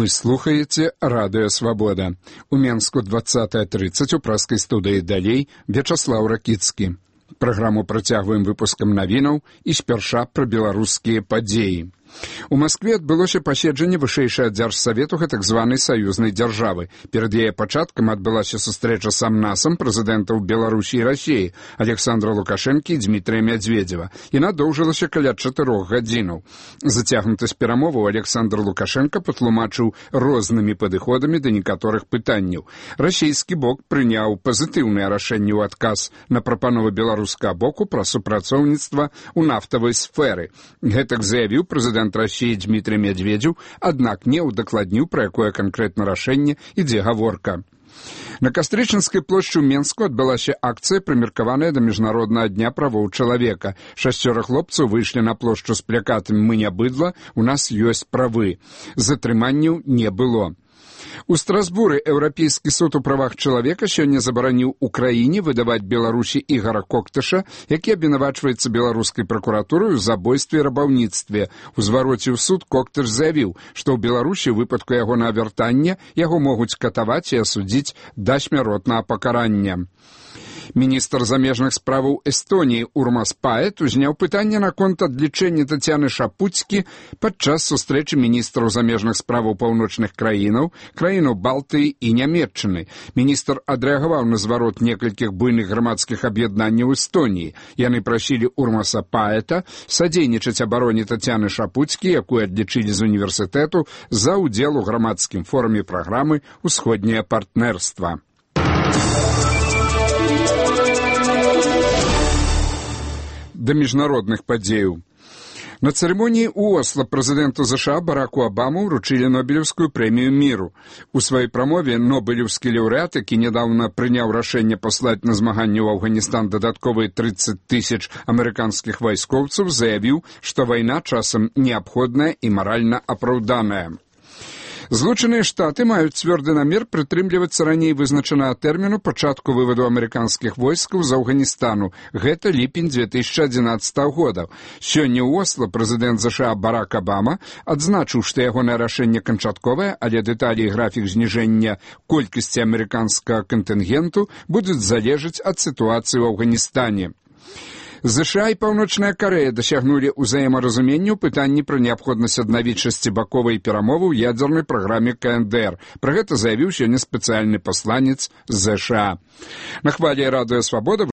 слухаеце Радыё Свабода. У Менску 20:30 у праскай студыі далей Вячаслаў Ракіцкі. Праграму працягваем выпускам навінаў і спярша пра беларускія падзеі. У Маскве адбылося паседжанне вышэйшага дзяржсавету гэтак званай саюзнай дзяржавы. Перад яе пачаткам адбылася сустрэча сам-насам прэзідэнтаў Беларусі і Расіі Александра Лукашэнкі і Дмітрыя Мядзведзева. Яна доўжылася каля 4 гадзінаў. Зацягнутасць перамоваў Александр Лукашенко патлумачыў рознымі падыходамі да некаторых пытанняў. Расійскі бок прыняў пазітыўнае рашэнне ў адказ на прапановы беларускага боку пра супрацоўніцтва ў нафтавай сферы. Гэтак заявіў прэзідэнт России Дмитрий Медведев, аднак не ўдакладніў, пра якое канкрэтна рашэнне ідзе гаворка. На Кастрычынскай плошчы ў Менску адбылася акцыя, прымеркаваная да міжнароднага дня правоў чалавека. 6 хлопцаў выйшлі на плошчу з плакатамі «Мы не быдла, у нас ёсць правы». Затрыманняў не было. У Страсбуры Еўрапейскі суд у правах чалавека сёння забараніў Украіне выдаваць Беларусі Ігара Коктыша, які абвінавачваецца беларускай пракуратурай у забойстве і рабаўніцтве. У звароце ў суд Коктыш заявіў, што ў Беларусі ў выпадку ягонага вяртання яго могуць катаваць і асудзіць да смяротнага пакарання. Міністр замежных справаў Эстоніі Урмас Паэт узняў пытанне наконт адлічэння Тацяны Шапуцкі падчас сустрэчы міністраў замежных справаў паўночных краінаў Балтыі і Нямецчыны. Міністр адрэагаваў на зварот некалькіх буйных грамадскіх аб'яднанняў Эстоніі. Яны прасілі Урмаса Паэта садзейнічаць абароне Тацяны Шапуцкі, якую адлічылі з універсітэту за ўдзел у грамадскім форуме праграмы «Усходняе партнерства». Да міжнародных падзеяў. На цырымоніі ў Осла прэзідэнту США Бараку Абаму ўручылі Нобелеўскую прэмію міру. У сваёй прамове нобелеўскі лаўрэат, які нядаўна прыняў рашэнне паслаць на змаганне ў Афганістан дадатковыя 30 000 амерыканскіх вайскоўцаў, заявіў, што вайна часам неабходная і маральна апраўданая. Злучаныя Штаты маюць цвёрды намер прытрымлівацца раней вызначанага тэрміну пачатку вываду амерыканскіх войскаў з Афганістану. Гэта ліпень 2011 года. Сёння ў Осла прэзідэнт США Барак Абама адзначыў, што ягонае рашэнне канчатковае, але дэталі і графік зніжэння колькасці амерыканскага кантынгенту будуць залежаць ад сітуацыі ў Афганістане. США і Паўночная Карэя дасягнулі ўзаемаразумення ў пытанні пра неабходнасць аднавіць шасцібаковыя перамовы ў ядзернай праграме КНДР. Пра гэта заявіў сёння спецыяльны пасланец з США. На хвалі Радыё Свабода